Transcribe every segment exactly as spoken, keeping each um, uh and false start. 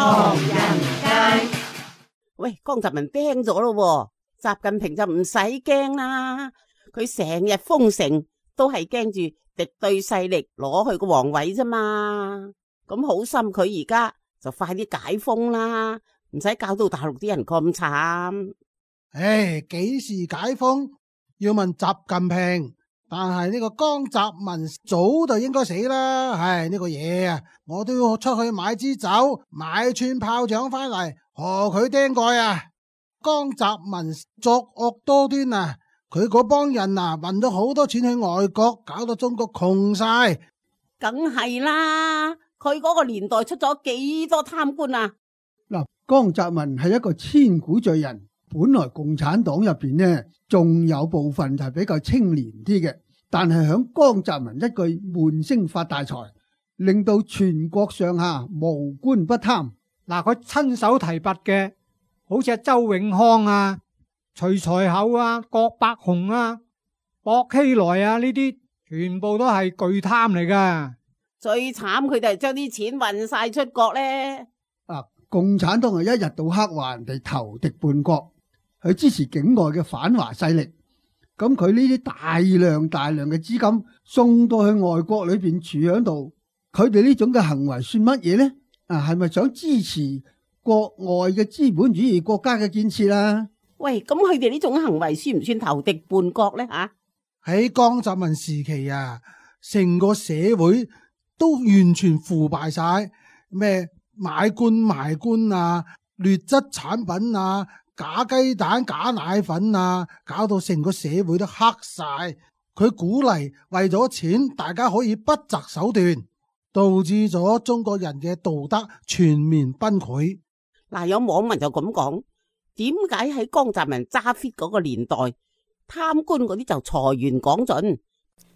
唐人街。喂，江澤民釘咗咯，習近平就唔使驚啦，佢成日封城都係驚住敵對勢力攞去個皇位啫嘛。咁好心佢而家就快啲解封啦，唔使搞到大陸啲人咁慘。唉，幾時解封要問習近平，但係呢個江澤民早就應該死啦。唉，呢個嘢啊，我都要出去買支酒，買串炮仗翻嚟賀佢釘蓋啊！江澤民作惡多端啊，佢嗰幫人啊運咗好多錢去外國，搞到中國窮晒。梗係啦，佢嗰個年代出咗幾多貪官啊！嗱，江澤民係一個千古罪人。本來共產黨入邊呢，仲有部分就係比較清廉啲嘅，但係響江澤民一句悶聲發大財，令到全國上下無官不貪。嗱，佢親手提拔嘅，好似係周永康啊、徐才厚啊、郭伯雄啊、薄熙來啊，呢啲全部都係巨貪嚟噶。最慘佢哋係將啲錢運晒出國咧。啊，共產黨係一日到黑話人哋投敵叛國。去支持境外嘅反華勢力，咁佢呢啲大量大量嘅資金送到去外國裏邊儲喺度，佢哋呢種嘅行為算乜嘢呢？啊，係咪想支持國外嘅資本主義國家嘅建設啊？喂，咁佢哋呢種行為算唔算投敵叛國呢？吓，喺江澤民時期啊，成個社會都完全腐敗晒，咩買官賣官啊，劣質產品啊，假雞蛋假奶粉啊，搞到成個社會都黑晒。佢鼓勵為咗錢大家可以不擇手段，導致咗中國人嘅道德全面崩潰。嗱，有網民就咁講，點解喺江澤民揸 fit 嗰個年代，貪官嗰啲就財源廣進，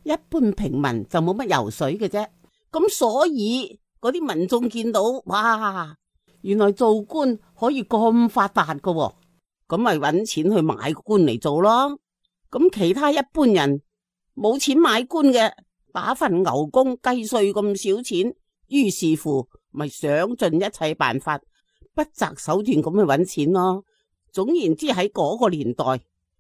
一般平民就冇乜油水嘅啫。咁所以嗰啲民眾見到，哇，原來做官可以咁發達噶喎，咁咪搵錢去買官嚟做咯。咁其他一般人冇錢買官嘅，打份牛工計稅咁少錢，於是乎咪想盡一切辦法，不擇手段咁去搵錢咯。總言之，喺嗰個年代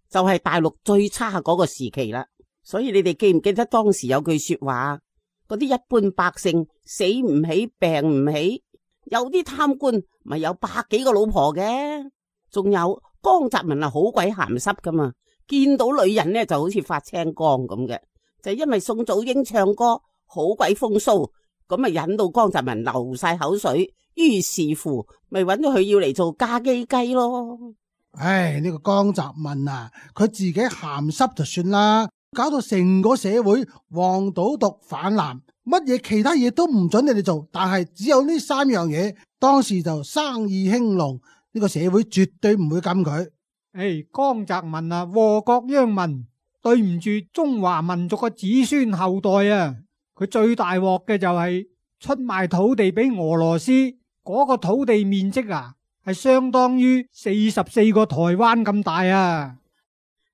就係大陸最差嗰個時期啦。所以你哋記唔記得當時有句說話，嗰啲一般百姓死唔起病唔起，有啲貪官咪有百幾個老婆嘅。仲有江澤民係好鬼鹹濕噶嘛，見到女人呢就好似發青光咁嘅，就因為宋祖英唱歌好鬼風騷，咁咪引到江澤民流晒口水，於是乎咪揾到佢要嚟做家基雞咯。唉，呢個江澤民啊，佢自己鹹濕就算啦，搞到成個社會黃賭毒泛濫，乜嘢其他嘢都唔准你哋做，但係只有呢三樣嘢，當時就生意興隆。呢個社會絕對唔會禁佢。誒，江澤民啊，禍國殃民，對唔住中華民族嘅子孫後代啊！佢最大鑊嘅就係出賣土地俾俄羅斯，嗰個土地面積啊，係相當於四十四個台灣咁大啊！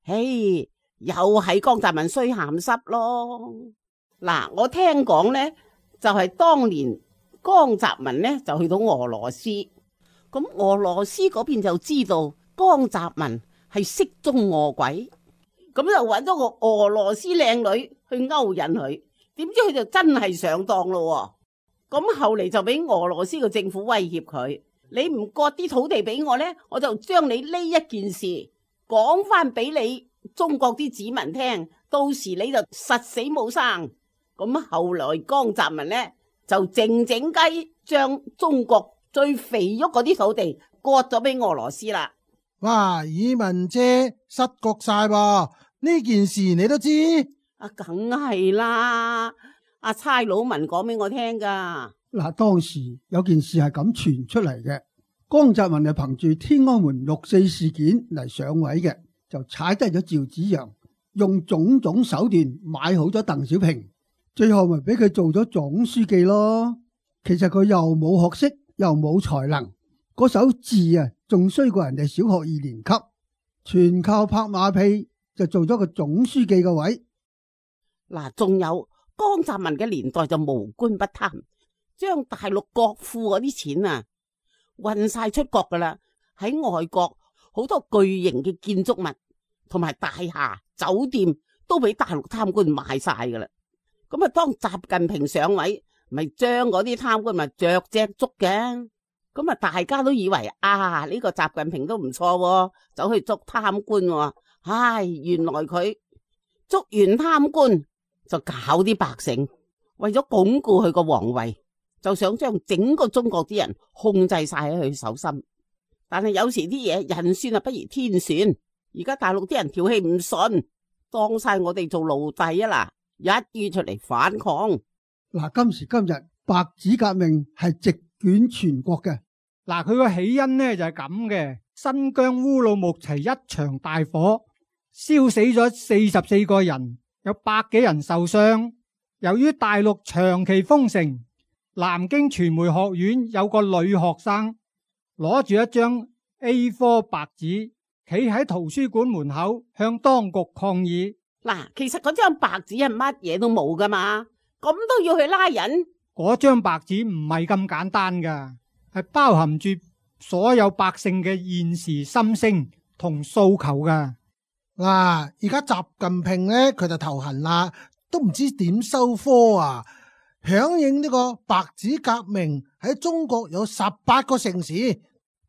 嘿，又係江澤民衰鹹濕咯。嗱，我聽講呢，就係當年江澤民呢就去到俄羅斯。咁俄羅斯嗰邊就知道江澤民係色中餓鬼，咁就揾咗個俄羅斯靚女去勾引佢，點知佢就真係上當咯。咁後嚟就俾俄羅斯嘅政府威脅佢，你唔割啲土地俾我呢，我就將你呢一件事講翻俾你中國啲子民聽，到時你就實死冇生。咁後來江澤民呢就靜靜雞將中國最肥沃嗰啲土地割咗俾俄羅斯啦！哇，爾文姐失覺晒噃，呢件事你都知？啊，梗係啦，阿差佬文講俾我聽噶。嗱，當時有件事係咁傳出嚟嘅，江澤民係憑住天安門六四事件嚟上位嘅，就踩低咗趙紫陽，用種種手段買好咗鄧小平，最後咪俾佢做咗總書記咯。其實佢又冇學識，又冇才能，嗰手字啊，仲衰過人哋小學二年級，全靠拍馬屁就做咗個總書記嘅位。嗱，仲有江澤民嘅年代就無官不貪，將大陸國庫嗰啲錢啊，運晒出國噶啦。喺外國好多巨型嘅建築物同埋大廈、酒店都俾大陸貪官賣晒噶啦。咁啊，當習近平上位，咪將嗰啲貪官咪着隻捉嘅。咁啊，大家都以為啊，呢個習近平都唔錯，走去捉貪官。唉，原來佢捉完貪官就搞啲百姓，為咗鞏固佢個皇位，就想將整個中國啲人控制晒喺佢手心。但係有時啲嘢人算啊不如天算，而家大陸啲人條氣唔順，當晒我哋做奴隸啊嗱，一於出嚟反抗。嗱，今時今日白紙革命係席捲全國嘅。嗱，佢個起因呢就係咁嘅，新疆烏魯木齊一場大火，燒死咗四十四個人，有百幾人受傷。由於大陸長期封城，南京傳媒學院有個女學生攞住一張 A 四 白紙，企喺圖書館門口向當局抗議。嗱，其實嗰張白紙係乜嘢都冇噶嘛，咁都要去拉人？嗰張白紙唔係咁簡單噶，係包含住所有百姓嘅現時心聲同訴求噶。嗱，而家習近平呢，佢就頭痕啦，都唔知點收科啊！響應呢個白紙革命喺中國有十八個城市，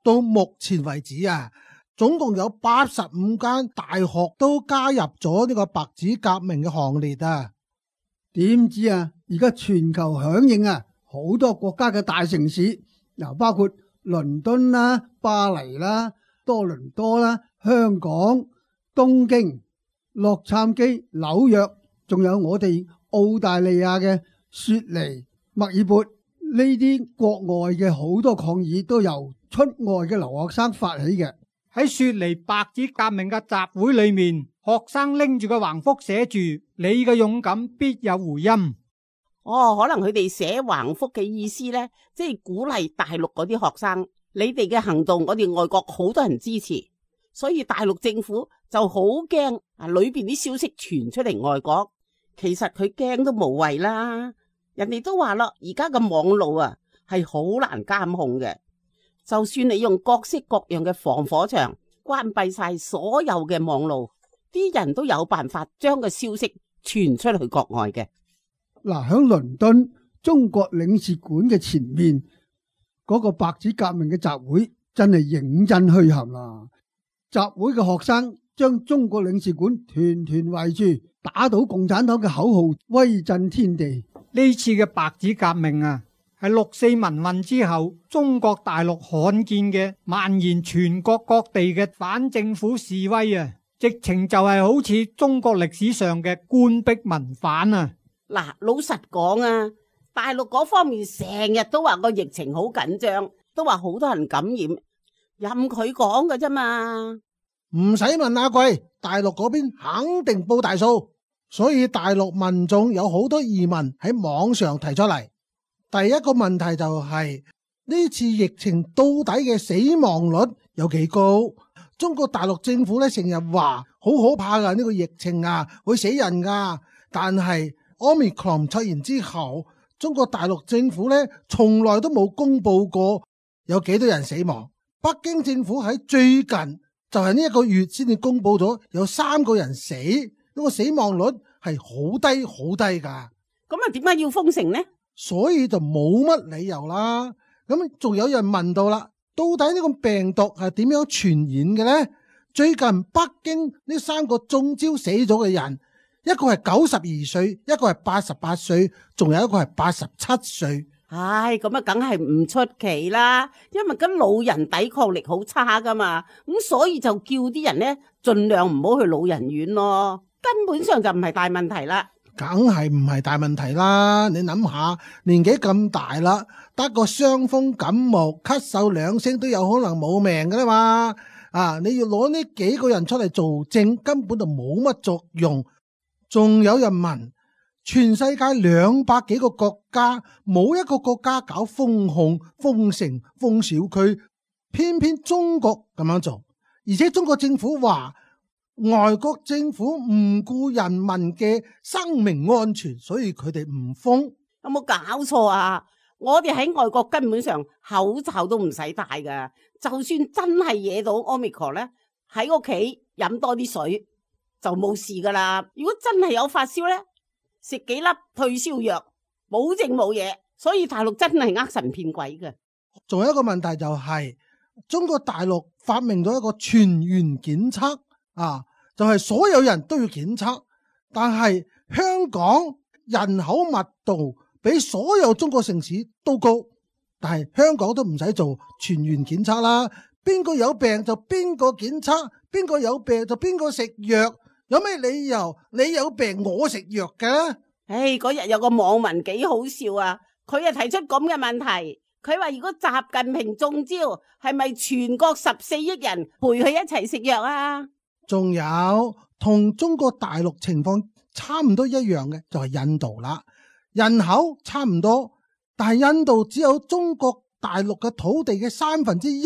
到目前為止啊，總共有八十五間大學都加入咗呢個白紙革命嘅行列啊！點知啊，而家全球響應啊，好多國家嘅大城市，嗱，包括倫敦啦、巴黎啦、多倫多啦、香港、東京、洛杉磯、紐約，仲有我哋澳大利亞嘅雪梨、墨爾本，呢啲國外嘅好多抗議都由出外嘅留學生發起嘅。喺雪梨白紙革命嘅集會裏面，學生拎住個橫幅寫住你嘅勇敢必有回音。哦，可能佢哋寫橫幅嘅意思呢，即係鼓勵大陸嗰啲學生，你哋嘅行動我哋外國好多人支持，所以大陸政府就好驚啊，裏邊啲消息傳出嚟外國。其實佢驚都無謂啦，人哋都話咯，而家嘅網路啊係好難監控嘅。就算你用各式各樣嘅防火牆關閉晒所有嘅網路，啲人都有辦法將個消息傳出去國外嘅。嗱，喺倫敦中國領事館嘅前面嗰個白紙革命嘅集會真係認真墟冚啦！集會嘅學生將中國領事館團團圍住，打倒共產黨嘅口號，威震天地。呢次嘅白紙革命啊，係六四民運之後中國大陸罕見嘅蔓延全國各地嘅反政府示威啊，直情就係好似中國歷史上嘅官逼民反啊！嗱，老實講啊，大陸嗰方面成日都話個疫情好緊張，都話好多人感染，任佢講㗎啫嘛，唔使問阿貴，大陸嗰邊肯定報大數，所以大陸民眾有好多疑問喺網上提出嚟。第一個問題就係呢次疫情到底嘅死亡率有幾高？中國大陸政府咧成日話好可怕噶，呢個疫情啊會死人噶，但係Omicron 出現之後，中國大陸政府咧從來都冇公布過有幾多人死亡。北京政府喺最近就係呢一個月先至公布咗有三個人死，呢個死亡率係好低好低噶。咁啊，點解要封城呢？所以就冇乜理由啦。咁仲有人問到啦，到底呢個病毒係點樣傳染嘅呢？最近北京呢三個中招死咗嘅人，一個係九十二歲，一個係八十八歲，仲有一個係八十七歲。唉，咁啊，梗係唔出奇啦，因為咁老人抵抗力好差噶嘛，咁所以就叫啲人呢盡量唔好去老人院咯，根本上就唔係大問題啦。梗係唔係大問題啦，你諗下，年紀咁大啦，得個傷風感冒咳嗽兩聲都有可能冇命噶啦嘛。啊，你要攞呢幾個人出嚟做證，根本就冇乜作用。仲有人問，全世界兩百幾個國家，冇一個國家搞封控、封城、封小區，偏偏中國咁樣做，而且中國政府話外國政府唔顧人民嘅生命安全，所以佢哋唔封。有冇搞錯啊？我哋喺外國根本上口罩都唔使戴噶，就算真係惹到 Omicron 咧，喺屋企飲多啲水就冇事噶啦。如果真係有發燒咧，食幾粒退燒藥，保證冇嘢。所以大陸真係呃神騙鬼嘅。仲有一個問題就係、是、中國大陸發明咗一個全員檢測啊，就係、是、所有人都要檢測，但係香港人口密度比所有中國城市都高，但係香港都唔使做全員檢測啦。邊個有病就邊個檢測，邊個有病就邊個食藥。有咩理由你有病我食藥嘅？唉，嗰日有個網民幾好笑啊！佢又提出咁嘅問題，佢話如果習近平中招，係咪全國十四億人陪佢一齊食藥啊？仲有同中國大陸情況差唔多一樣嘅就係印度啦，人口差唔多，但係印度只有中國大陸嘅土地嘅三分之一，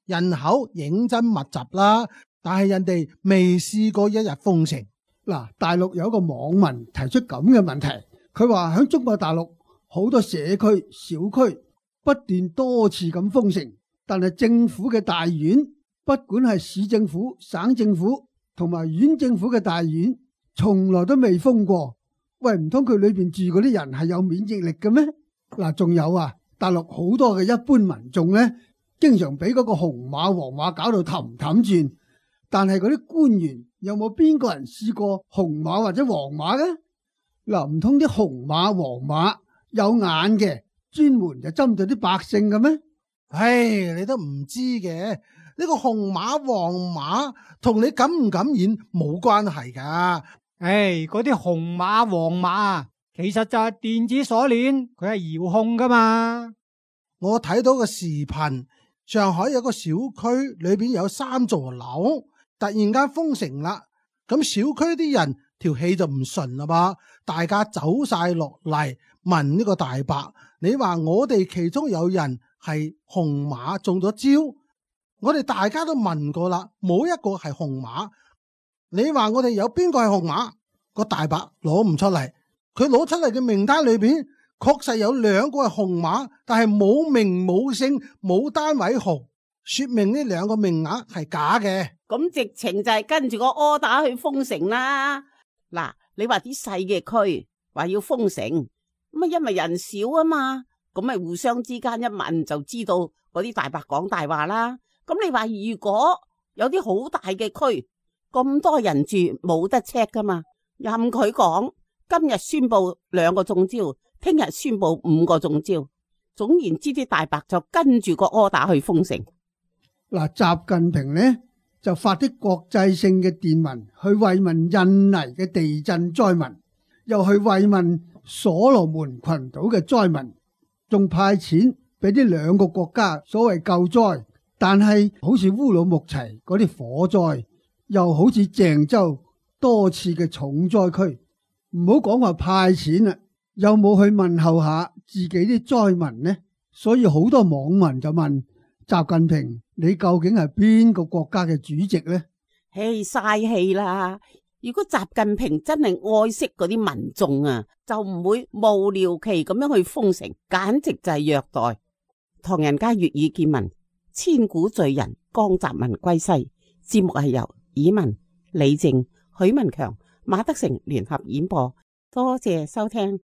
人口認真密集啦，但係人哋未試過一日封城。嗱，大陸有一個網民提出咁嘅問題，佢話喺中國大陸好多社區小區不斷多次咁封城，但係政府嘅大院，不管係市政府、省政府同埋縣政府嘅大院，從來都未封過。喂，唔通佢裏邊住嗰啲人係有免疫力嘅咩？嗱，仲有啊，大陸好多嘅一般民眾呢，經常俾嗰個紅碼黃碼搞到氹氹轉，但係嗰啲官員有冇邊個人試過紅碼或者黃碼嘅？嗱，唔通啲紅碼黃碼有眼嘅專門就針對啲百姓嘅咩？唉，你都唔知嘅，呢個紅碼黃碼同你感唔感染冇關係噶。唉，嗰啲紅碼黃碼其實就係電子鎖鏈，佢係遙控噶嘛。我睇到個視頻，上海有個小區裏邊有三座樓，突然間封城啦，咁小區啲人條氣就唔順啦噃，大家走晒落嚟問呢個大伯，你話我哋其中有人係紅碼中咗招，我哋大家都問過啦，冇一個係紅碼，你話我哋有邊個係紅碼？個大伯攞唔出嚟，佢攞出嚟嘅名單裏邊確實有兩個係紅碼，但係冇名冇姓冇單位號，說明呢兩個名額係假嘅。咁直情就係跟住個柯打去封城啦。嗱，你話啲細嘅區話要封城，咁啊因為人少啊嘛，咁咪互相之間一問就知道嗰啲大伯講大話啦。咁你話如果有啲好大嘅區，咁多人住冇得 check 噶嘛，任佢講，今日宣布兩個中招，聽日宣布五個中招，總言之啲大伯就跟住個柯打去封城。嗱，習近平呢就發啲國際性嘅電文去慰問印尼嘅地震災民，又去慰問所羅門群島嘅災民，仲派錢俾呢兩個國家所謂救災。但係好似烏魯木齊嗰啲火災，又好似鄭州多次嘅重災區，唔好講話派錢啦，有冇去問候下自己啲災民呢？所以好多網民就問習近平，你究竟係邊個國家嘅主席呢？唉，嘥氣啦！如果習近平真係愛惜嗰啲民眾啊，就唔會無聊期咁樣去封城，簡直就係虐待。唐人街粵語見聞，千古罪人江澤民歸西。節目係由以文、李靜、許文強、馬德成聯合演播，多謝收聽。